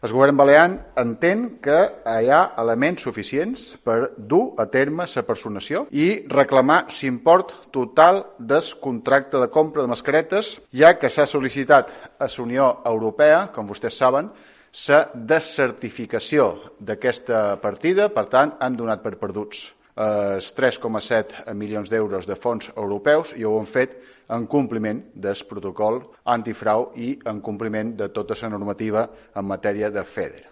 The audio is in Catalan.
El govern balear entén que hi ha elements suficients per dur a terme la personació i reclamar l'import total del contracte de compra de mascaretes, ja que s'ha sol·licitat a la Unió Europea, com vostès saben, la descertificació d'aquesta partida. Per tant, han donat per perduts els 3,7 milions d'euros de fons europeus i ho han fet en compliment del protocol antifrau i en compliment de tota la normativa en matèria de FEDER.